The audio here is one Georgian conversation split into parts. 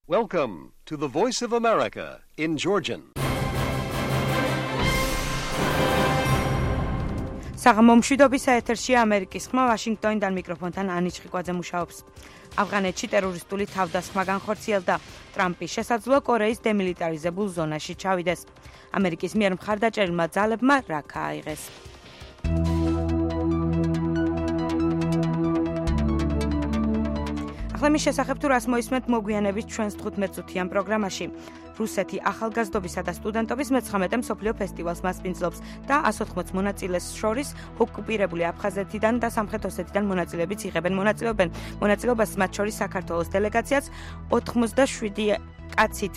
Welcome to the Voice of America in Georgian. საღამომშვიდობის ეთერშია ამერიკის ხმა ვაშინგტონიდან მიკროფონთან ანი ჩხიკვაძე მუშაობს. ავღანეთში ტერორისტული თავდასხმა განხორციელდა. ტრამპი შესაძლოა კორეის დემილიტარიზებულ ზონაში ჩავიდეს. ამერიკის მიერ მხარდაჭერილმა ძალებმა რაქა აიღეს. ახლა მის შესახებ თუ რას მოისმენთ მოგვიანებით ჩვენს 15-წუთიან პროგრამაში. რუსეთი ახალგაზრდობისა და სტუდენტობის მე-19 მსოფლიო ფესტივალს მასპინძლობს და 180 მონაწილეს შორის ოკუპირებული აფხაზეთიდან და სამხრეთ ოსეთიდან მონაწილეებიც იღებენ მონაწილეობას მათ შორის საქართველოს დელეგაციაც 87 კაცით.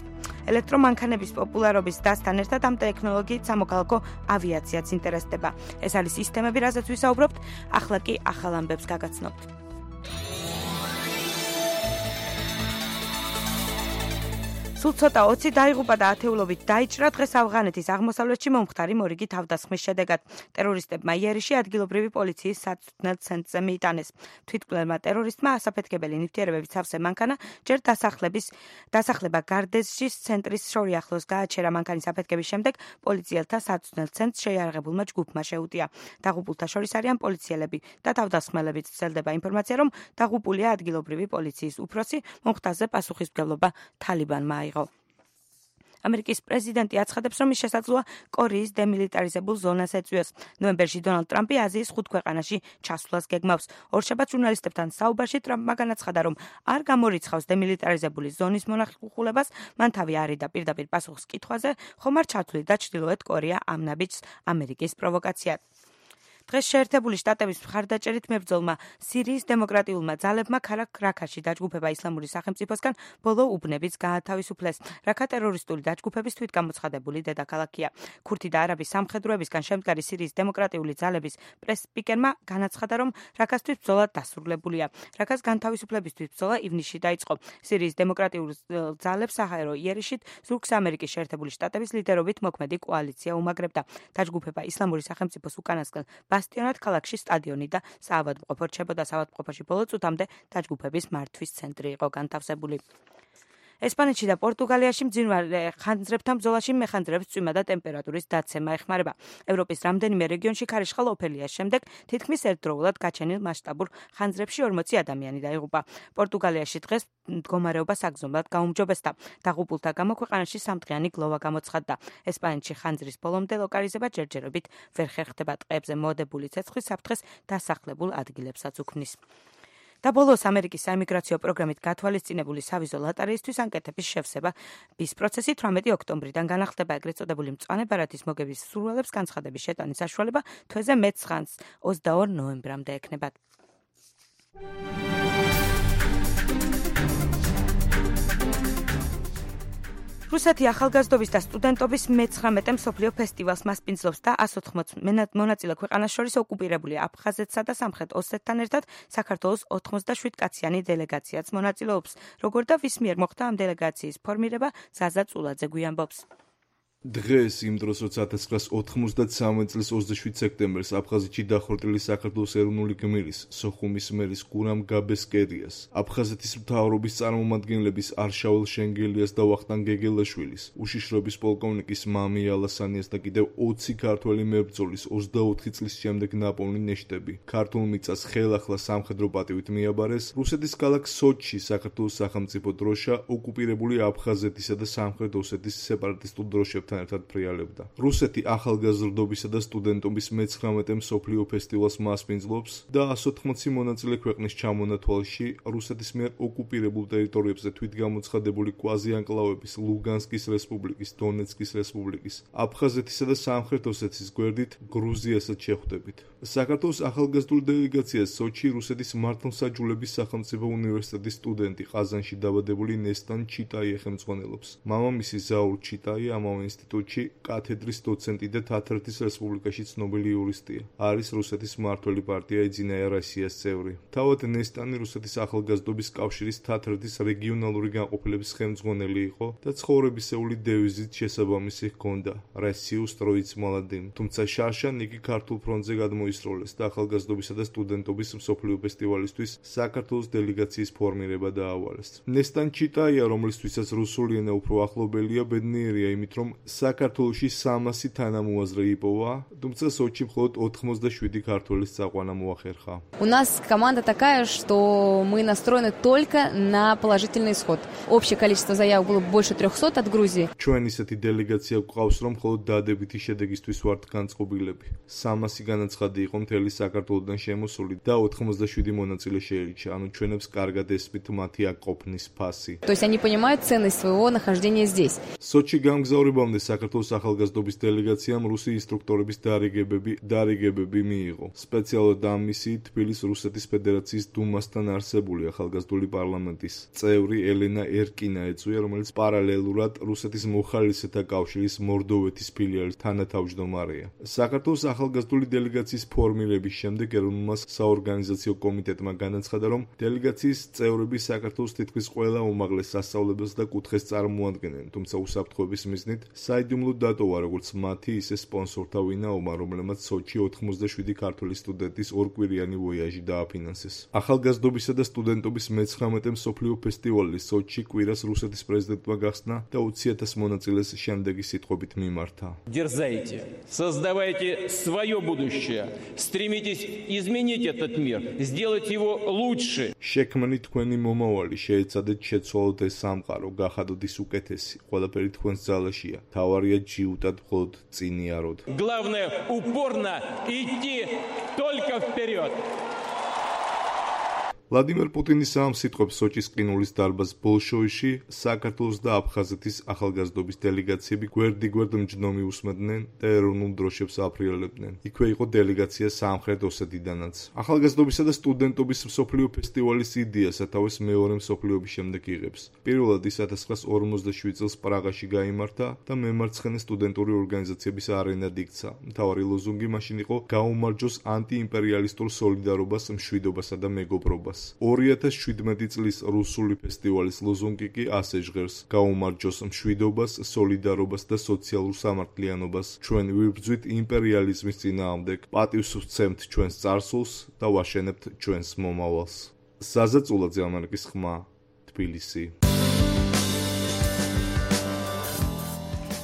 ელექტრომანქანების პოპულარობის დასთან ერთად ამ ტექნოლოგიით სამოქალაქო ავიაციაც ინტერესდება. ეს არის სისტემები, რაზეც ვისაუბრობთ, ახლა კი ახალ ამბებს გაგაცნობთ. სულ ცოტა 20 დაიღუპა და ათეულობით დაიჭრა დღეს ავღანეთის აღმოსავლეთში მომხდარი მორიგი თავდასხმის შედეგად. ტერორისტებმა იერიში ადგილობრივი პოლიციის საწვრთნელ ცენტრზე მიიტანეს. თვითმკვლელმა ტერორისტმა ასაფეთქებელი ნივთიერებებით სავსე მანქანა ჯერ დასახლება გარდეჟის ცენტრის შორი ახლოს გააჩერა. მანქანის აფეთქების შემდეგ პოლიციელთა საწვრთნელ ცენტრს შეიარაღებულმა ჯგუფმა შეუტია. დაღუპულთა შორის არიან პოლიციელები და თავდასხმელებიც. ვრცელდება ინფორმაცია, რომ დაღუპულია ადგილობრივი პოლიციის უფროსი, მომხდარზე პასუხისმგებლობა თალიბანმა აიღო. ამერიკის პრეზიდენტი აცხადებს, რომ ის შესაძლოა კორეის დემილიტარიზებულ ზონას ეწვიოს. ნოემბერში დონალდ ტრამპი აზიის 5 ქვეყანაში ჩასვლას გეგმავს. ორშაბათს ჟურნალისტებთან საუბარში ტრამპმა განაცხადა, რომ არ გამორიცხავს დემილიტარიზებული ზონის მონახულებას, მან თავი არიდა პირდაპირ პასუხს კითხვაზე, ხომ არ ჩათვლიდა ჩრდილოეთ კორეა ამ ნაბიჯს ამერიკის პროვოკაციად. დღეს შეერთებული შტატების მხარდაჭერით მებრძოლმა სირიის დემოკრატიულმა ძალებმა ქალაქ რაქაში დაჯგუფება ისლამური სახელმწიფოსგან ბოლო უბნებიც გაათავისუფლეს. რაქა ტერორისტული დაჯგუფების თვითგამოცხადებული დედაქალაქია. ქურთი და არაბი სამხედროებისგან შემდგარი სირიის დემოკრატიული ძალების პრეს-სპიკერმა განაცხადა, რომ რაქასთვის ბრძოლა დასრულებულია. რაქას განთავისუფლებისთვის ბრძოლა ივნისში დაიწყო. სირიის დემოკრატიულ ძალებს საჰაერო იერიშით ზურგს ამერიკის შეერთებული შტატების ლიდერობით მოქმედი კოალიცია უმაგრებდა. დაჯგუფება ისლამური სახელმწიფოს უკანასკნელ ბასტიონად ქალაქში სტადიონი და საავადმყოფო რჩებოდა. საავადმყოფოში ბოლო წუთამდე დაჯგუფების მართვის ცენტრი იყო განთავსებული. ესპანეთში და პორტუგალიაში მძინვარე ხანძრებთან ბრძოლაში მეხანძრებს წვიმა და ტემპერატურის დაცემა ეხმარება. ევროპის რამდენიმე რეგიონში ქარიშხალ ოფელიას შემდეგ თითქმის ერთდროულად გაჩენილ მასშტაბურ ხანძრებში 40 ადამიანი დაიღუპა. პორტუგალიაში დღეს მდგომარეობა საგრძნობლად გაუმჯობესდა. დაღუპულთა გამო ქვეყანაში სამდღიანი გლოვა გამოცხადდა. ესპანეთში ხანძრის ბოლომდე ლოკალიზება ჯერჯერობით ვერ ხერხდება. ტყეებზე მოდებული ცეცხლი საფრთხეს დასახლებულ ადგილებსაც უქმნის. და ბოლოს ამერიკის საიმიგრაციო პროგრამით გათვალისწინებული სავიზო ლოტარეისთვის ანკეტების შევსების პროცესი 18 ოქტომბრიდან განახლდება. ეგრეთ წოდებული მწვანე ბარათის მოგების სურვილებს განცხადების შეტანის საშუალება თვეზე მეცხრანს 22 ნოემბრამდე ექნებათ. რუსეთი ახალგაზრდობის და სტუდენტობის მე-19 მსოფლიო ფესტივალს მასპინძლობს და 180 მონაწილე ქვეყანას შორის ოკუპირებული აფხაზეთსა და სამხრეთ ოსეთთან ერთად საქართველოს 87 კაციანი დელეგაციაც მონაწილეობს. როგორ და ვის მიერ მოხდა ამ დელეგაციის ფორმირება, ზაზა წულაძე გვიამბობს. დღეს იმ დროს, როცა 1993 წლის 27 სექტემბერს აფხაზეთში დახორტილი საქართველოს ეროვნული გმირის სოხუმის მერის გურამ გაბესკერიას, აფხაზეთის მთავრობის წარმომადგენლების არშაულ შენგელიას და ვახტანგ გეგელაშვილის, უშიშროების პოლკოვნიკის მამი ალასანიას და კიდევ 20 ქართველი მებრძოლის 24 წლის შემდეგ ნაპოვნი ნეშტები ქართულ მიწას ხელახლა სამხედრო პატივით მიაბარეს. რუსეთის ქალაქ სოჩში საქართველოს სახელმწიფო დროშა ოკუპირებული აფხაზეთისა და სამხრეთ ოსეთის სეპარატისტულ დროშებთან ერთად ფრიალებდა. რუსეთი ახალგაზრდობისა და სტუდენტობის მე-19 მსოფლიო ფესტივალს მასპინძლობს და 180 მონაწილე ქვეყნის ჩამონათვალში რუსეთის მიერ ოკუპირებულ ტერიტორიებზე თვითგამოცხადებული კვაზი-ანკლავების ლუგანსკის რესპუბლიკის, დონეცკის რესპუბლიკის, აფხაზეთისა და სამხრეთ ოსეთის გვერდით გრუზიასაც შეხვდებით. საქართველოს ახალგაზრდული დელეგაცია სოჩი რუსეთის მართლმსაჯულების სახელმწიფო უნივერსიტეტის სტუდენტი ყაზანში დაბადებული ნესტან ჩიტაი ეხემწვანელობს. მამამისი ზაურ ჩიტაი ამავე ინსტიტუტში კათედრის დოცენტი და თათრეთის რესპუბლიკაში ცნობილი იურისტია. არის რუსეთის მმართველი პარტია „ეძინაია როსიას“ წევრი. თავად ნესტანი რუსეთის ახალგაზრდობის კავშირის თათრეთის რეგიონალური განყოფილების ხელმძღვანელი იყო და ცხოვრებისეული დევიზით შესაბამისი ჰქონდა „Россию строить молодым“. თუმცა შარშან იგი ქართულ ფრონტზე გადმოისროლეს და ახალგაზრდობისა და სტუდენტობის მსოფლიო ფესტივალისთვის საქართველოს დელეგაციის ფორმირება დაავალეს. ნესტან ჩიტაია, რომლისთვისაც რუსული ენა უფრო ახლობელია, ბედნიერია იმით, რომ საქართველოში 300 თანამოაზრე იპოვა, თუმცა სოჩი მხოლოდ 87 ქართველის წაყვანა მოახერხა. У нас команда такая, что мы настроены только на положительный исход. Общее количество заявок было больше 300 от Грузии. ჩვენ ისეთი დელეგაცია გვყავს, რომ მხოლოდ დადებითი შედეგისთვის ვართ განწყობილები. 300 განაცხადი იყო მთელი საქართველოდან შემოსული და 87 მონაწილე შეირჩა, ანუ ჩვენებს კარგად ესმით მათი აკ ყოფნის ფასი. То есть они понимают ценность своего нахождения здесь. სოჩი გამგზავრებამდე საქართველოს ახალგაზრდობის დელეგაციამ რუსი ინსტრუქტორების დარიგებები მიიღო. სპეციალურად ამ მისიით თბილისის რუსეთის ფედერაციის დუმასთან არსებული ახალგაზრდული პარლამენტის წევრი ელენა ერკინა ეწვია, რომელიც პარალელურად რუსეთის მოხალისეთა კავშირის მორდოვეთის ფილიალის თანათავმჯდომარეა. საქართველოს ახალგაზრდული დელეგაციის ფორმირების შემდეგ ეროვნულმა საორგანიზაციო კომიტეტმა განაცხადა, რომ დელეგაციის წევრები საქართველოს თითქმის ყველა უმაღლეს სასწავლებელს და კუთხეს წარმოადგენენ, თუმცა უსაფრთხოების მიზნით საიდუმლოდ დატოვა როგორც მათი, ისე სპონსორთა ვინაობა, რომლებმაც სოჩი 87 ქართველი სტუდენტის ორკვირიანი ვოიაჟი დააფინანსეს. ახალგაზრდობისა და სტუდენტობის მე-19 მსოფლიო ფესტივალი სოჩი კვირას რუსეთის პრეზიდენტმა გახსნა და 20,000 მონაწილეს შემდეგი სიტყვებით მიმართა. Дерзайте, создавайте свое будущее, стремитесь изменить этот мир, сделать его лучше. შექმნით თქვენი მომავალი, შეეცადეთ შეცვალოთ ეს სამყარო, გახადოთ ის უკეთესი. ყველაფერი თქვენს ძალაშია. თავარია ჯიუტად მხოლოდ წინიაროდ. Главное упорно идти только вперед. ვლადიმერ პუტინის ამ სიტყვებს სოჩის ყინულის დარბაზ ბოლშოიში საქართველოს და აფხაზეთის ახალგაზრდობის დელეგაციები გვერდიგვერდ მჯდომი უსმენდნენ და ეროვნულ დროშებს აფრიალებდნენ. იქვე იყო დელეგაცია სამხრეთ ოსეტიდანაც. ახალგაზრდობისა და სტუდენტობის მსოფლიო ფესტივალის იდეა სათავეს მეორე მსოფლიო ომის შემდეგ იღებს. პირველად ის 1947 წელს პრაღაში გაიმართა და მემარცხენე სტუდენტური ორგანიზაციების არენად იქცა. მთავარი ლოზუნგი მაშინ იყო გაუმარჯოს ანტიიმპერიალისტურ სოლიდარობას, მშვიდობასა და მეგობრობას. 2017 წლის რუსული ფესტივალის ლოზუნგი კი ასე ჟღერს: გაუმარჯოს მშვიდობას, სოლიდარობას და სოციალურ სამართლიანობას. ჩვენ ვიბრძვით იმპერიალიზმის წინააღმდეგ, პატივს ვცემთ ჩვენს წარსულს და ვაშენებთ ჩვენს მომავალს. საზეწულაძე, ამერიკის ხმა, თბილისი.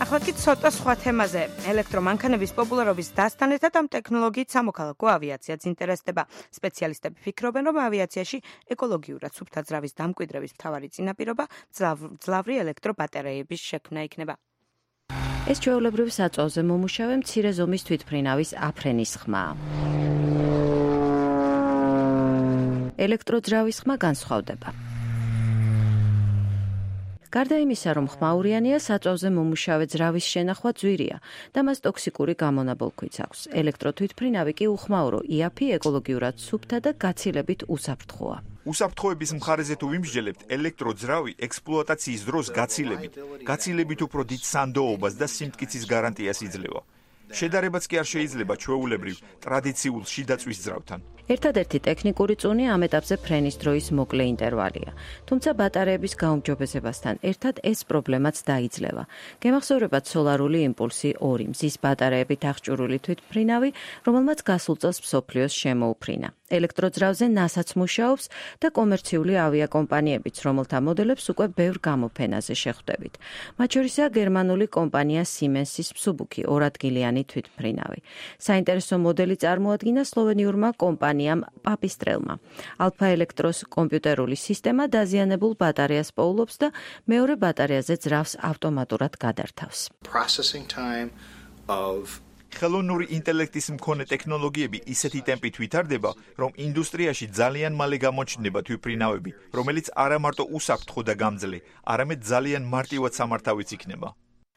ახლა კი ცოტა სხვა თემაზე. ელექტრომანქანების პოპულარობის დასტანეთად ამ ტექნოლოგიით სამოქალაქო ავიაციაც ინტერესდება. სპეციალისტები ფიქრობენ, რომ ავიაციაში ეკოლოგიურად სუფთა ძრავის დამკვიდრების მთავარი წინაპირობა ძლავრი ელექტრობატარეების შექმნა იქნება. ეს ჩვეულებრივ საწვავზე მომუშავე მცირე ზომის თვითმფრინავის აფრენის ხმა. ელექტროძრავის ხმა განსხვავდება. გარდა იმისა, რომ ხმაურიანია, საწვავზე მომუშავე ძრავის შენახვა ძვირია და მას ტოქსიკური გამონაბოლქვიც აქვს. ელექტროთვითმფრინავი კი უხმაურო, იაფი, ეკოლოგიურად სუფთა და გაცილებით უსაფრთხოა. უსაფრთხოების მხარეზე თუ ვიმსჯელებთ, ელექტროძრავი ექსპლუატაციის დროს გაცილებით უფრო დიდ სანდოობას და სიმტკიცის გარანტიას იძლევა. შედარებაც კი არ შეიძლება ჩვეულებრივ ტრადიციულ შიდაწვის ძრავთან. ერთადერთი ტექნიკური წუნი ამ ეტაპზე ფრენის დროის მოკლე ინტერვალია. თუმცა ბატარეების გაუმჯობესებასთან ერთად ეს პრობლემაც დაიძლევა. გემახსოვრებათ სოლარული იმპულსი 2 მზის ბატარეებით აღჭურვილი თვითმფრინავი, რომელმაც გასულ წელს მსოფლიოს შემოუფრინა. ელექტროძრავზე NASA-ც მუშაობს და კომერციული ავიაკომპანიებიც, რომელთა მოდელებს უკვე ბევრ გამოფენაზე შეხვდებით. მათ შორისაა გერმანული კომპანია Siemens-ის მსუბუქი 2 ადგილიანი თვითმფრინავი. საინტერესო მოდელი წარმოადგინა სლოვენიურმა კომპანიამ Papistrelma. Alpha Electros კომპიუტერული სისტემა დაზიანებულ ბატარეას პოულობს და მეორე ბატარეაზე ძრავს ავტომატურად გადართავს. ხელოვნური ინტელექტის მქონე ტექნოლოგიები ისეთი ტემპით ვითარდება, რომ ინდუსტრიაში ძალიან მალე გამოჩნდება თვითმფრინავები, რომელიც არა მარტო უსაფრთხო და გამძლე, არამედ ძალიან მარტივად სამართავიც იქნება.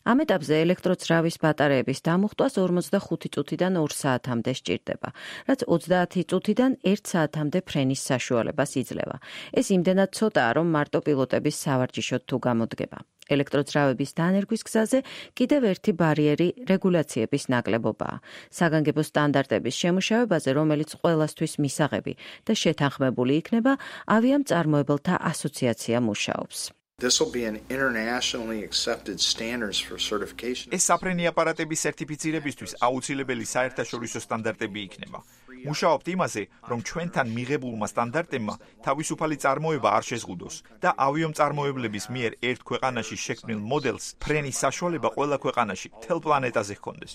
ამ ეტაპზე ელექტროძრავის ბატარეების დამუხტვას 45 წუთიდან 2 საათამდე სჭირდება, რაც 30 წუთიდან 1 საათამდე ფრენის საშუალებას იძლევა. ეს იმდენად ცოტაა, რომ მარტო პილოტების სავარჯიშოდ თუ გამოდგება. ელექტროძრავების დანერგვის გზაზე კიდევ ერთი ბარიერი რეგულაციების ნაკლებობაა. საგანგებო სტანდარტების შემუშავებაზე, რომელიც ყველასთვის მისაღები და შეთანხმებული იქნება, ავიამწარმოებელთა ასოციაცია მუშაობს. This will be an internationally accepted standards for certification. ეს საფრენი აპარატების სერტიფიცირებისთვის აუცილებელი საერთაშორისო სტანდარტები იქნება. მუშაობთ იმაზე, რომ ჩვენთან მიღებულმა სტანდარტებმა თავისუფალი წარმოება არ შეზღუდოს და ავიამწარმოებლების მიერ ერთ ქვეყანაში შექმნილ მოდელს ფრენის საშუალება ყველა ქვეყანაში, მთელ პლანეტაზე ჰქონდეს.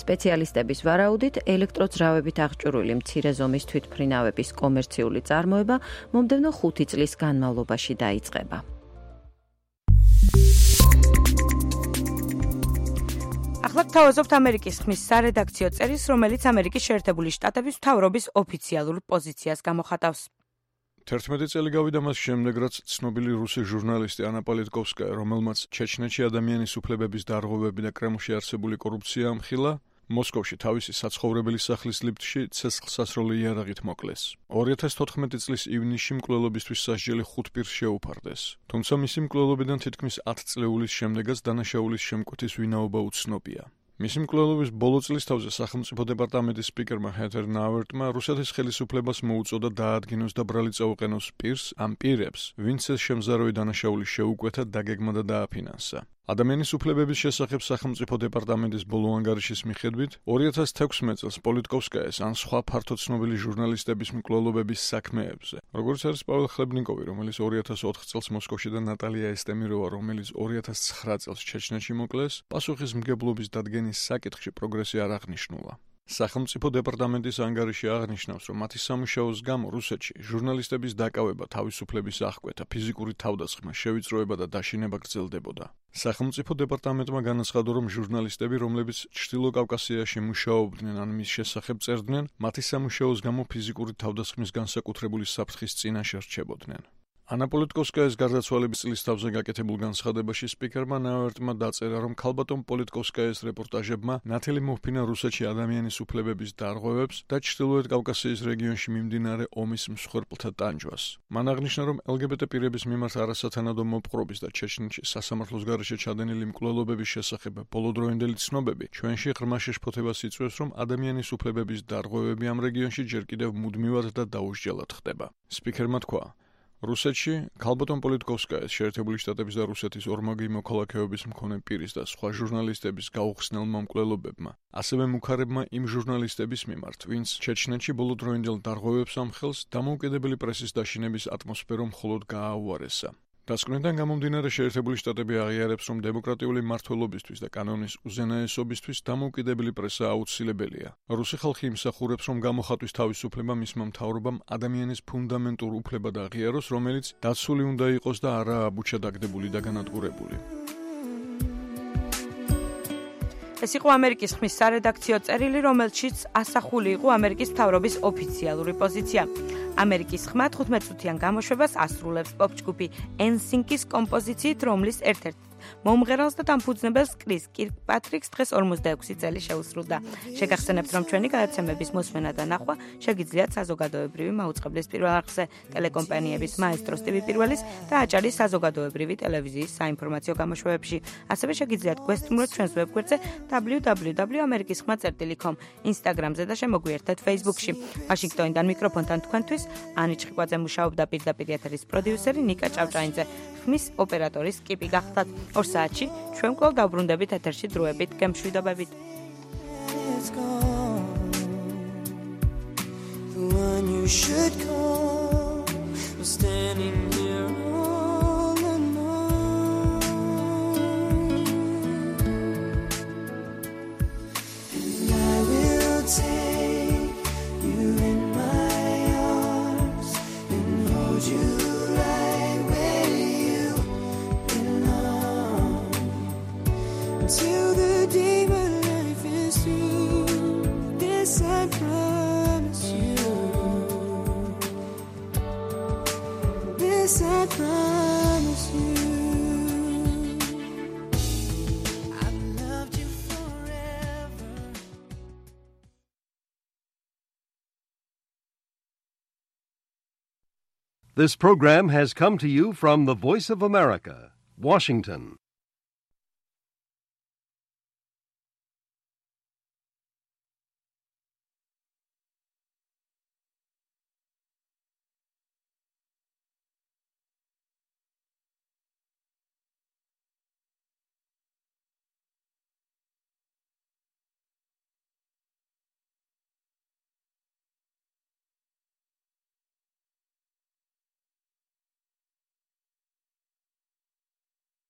სპეციალისტების ვარაუდით, ელექტროძრავებით აღჭურვილი მცირე ზომის თვითმფრინავების კომერციული წარმოება მომდევნო 5 წლის განმავლობაში დაიწყება. ახლა გთავაზობთ ამერიკის ხმის სარედაქციო წერილს, რომელიც ამერიკის შეერთებული შტატების მთავრობის ოფიციალურ პოზიციას გამოხატავს. 11 წელი გავიდა მას შემდეგ, რაც ცნობილი რუსი ჟურნალისტი ანა პოლიტკოვსკაია, რომელმაც ჩეჩნეთში ადამიანის უფლებების დარღვევები და კრემლში არსებული კორუფცია ამხილა, მოსკოვში თავისი საცხოვრებელი სახლის ლიფტში ცეცხლსასროლი იარაღით მოკლეს. 2014 წლის ივნისში მკვლელობისთვის სასჯელი 5 პირს შეუფარდეს. თუმცა მისი მკვლელობიდან თითქმის 10 წლეულის შემდეგაც დანაშაულის შემკვეთის ვინაობა უცნობია. მისი მკვლელობის ბოლო წლის თავზე სახელმწიფო დეპარტამენტის სპიკერმა ჰეთერ ნაუერტმა რუსეთის ხელისუფლებას მოუწოდა დაადგინოს და ბრალი წაუყენოს პირს ამ პირებს, ვინც ეს შემზარავი დანაშაული შეუკვეთა, დაგეგმა და დააფინანსა. ადამიანის უფლებების შესახებ სახელმწიფო დეპარტამენტის ბოლო ანგარიშის მიხედვით 2016 წელს პოლიტკოვსკაიას ან სხვა ფართო ცნობილი ჟურნალისტების მკვლელობების საქმეებზე, როგორც არის პაվել ხლებნიკოვი, რომელიც 2004 წელს მოსკოვში და ნატალია ესტემიროვა, რომელიც 2009 წელს ჩეჩნეთში მოკლეს, პასუხისმგებლობის დადგენის საკითხში პროგრესი არ აღნიშნულა. სახელმწიფო დეპარტამენტის ანგარიში აღნიშნავს, რომ მათი სამუშაოს გამო რუსეთში ჟურნალისტების დაკავება, თავისუფლების აღკვეთა, ფიზიკური თავდასხმა, შევიწროება და დაშინება გრძელდებოდა. სახელმწიფო დეპარტამენტმა განაცხადა, რომ ჟურნალისტები, რომლებიც ჩრდილო კავკასიაში მუშაობდნენ ან მის შესახებ წერდნენ, მათი სამუშაოს გამო ფიზიკური თავდასხმის განსაკუთრებული საფრთხის წინაშე რჩებოდნენ. ანა პოლიტკოვსკაიას გარდაცვალების წლის თავზე გაკეთებულ განცხადებაში სპიკერმა ნაუერტმა დაწერა, რომ ქალბატონ პოლიტკოვსკაიას რეპორტაჟებმა ნათელი მოჰფინა რუსეთში ადამიანის უფლებების დარღვევებს და ჩრდილოეთ კავკასიის რეგიონში მიმდინარე ომის მსხვერპლთა ტანჯვას. მან აღნიშნა, რომ LGBT პირების მიმართ არასათანადო მოპყრობის და ჩეჩნეთში სასამართლოს გარეშე ჩადენილი მკვლელობების შესახებ ბოლოდროინდელი ცნობები ჩვენში ღრმა შეშფოთებას იწვევს, რომ ადამიანის უფლებების დარღვევები ამ რეგიონში ჯერ კიდევ მუდმივად და დაუსჯელად ხდება. სპიკერმა თქვა, რუსეთში ქალბატონ პოლიტკოვსკაიას შეერთებული შტატების და რუსეთის ორმაგი მოქალაქეობის მქონე პირის და სხვა ჟურნალისტების გაუხსნელმა მკვლელობებმა, ასევე მუქარებმა იმ ჟურნალისტების მიმართ, ვინც ჩეჩნეთში ბოლოდროინდელ დარღვევებს ამხელს, დამოუკიდებელი პრესის დაშინების ატმოსფერო მხოლოდ გააუარესა. დასკვნიდან გამომდინარე შეერთებული შტატები აღიარებს, რომ დემოკრატიული მმართველობისთვის და კანონის უზენაესობისთვის დამოუკიდებელი პრესა აუცილებელია. რუსი ხალხი იმსახურებს, რომ გამოხატვის თავისუფლება მისმა მთავრობამ ადამიანის ფუნდამენტურ უფლებად აღიაროს, რომელიც დაცული უნდა იყოს და არა აბუჩა დაგდებული და განადგურებული. ეს იყო ამერიკის ხმის სარედაქციო წერილი, რომელშიც ასახული იყო ამერიკის მთავრობის ოფიციალური პოზიცია. ამერიკის ხმა 15 წუთიან გამოშვებას ასრულებს პოპ-ჯგუფი NSYNC-ის კომპოზიციით, რომლის ერთ-ერთ მომღერალს და დამფუძნებელს კრის კირკპატრიკს დღეს 46 წელი შეუსრულდა. შეგახსენებთ, რომ ჩვენი გადაცემების მოსმენა და ნახვა შეგიძლიათ საზოგადოებრივი მაუწყებლის პირველ არხზე, ტელეკომპანიების მაესტროს TV პირველის და აჭარის საზოგადოებრივი ტელევიზიის საინფორმაციო გამოშვებებში. ასევე შეგიძლიათ გვესტუმროთ ჩვენს ვებგვერდზე www.amerikiskhma.com, Instagram-ზე და შემოგვიერთეთ Facebook-ში. ვაშინგტონიდან მიკროფონთან თქვენთვის ანი ჩხიკვაძე მუშაობდა, პირდაპირ ეთერის პროდიუსერი ნიკა ჭავჭაინძე, ხმის ოპერატორის კიპი გახდათ. 2 საათში ჩვენ კვლავ დავბრუნდებით ეთერში დროებით, გემშვიდობებით. Till the day my life is through, this I promise you. This I This program has come to you from the Voice of America, Washington.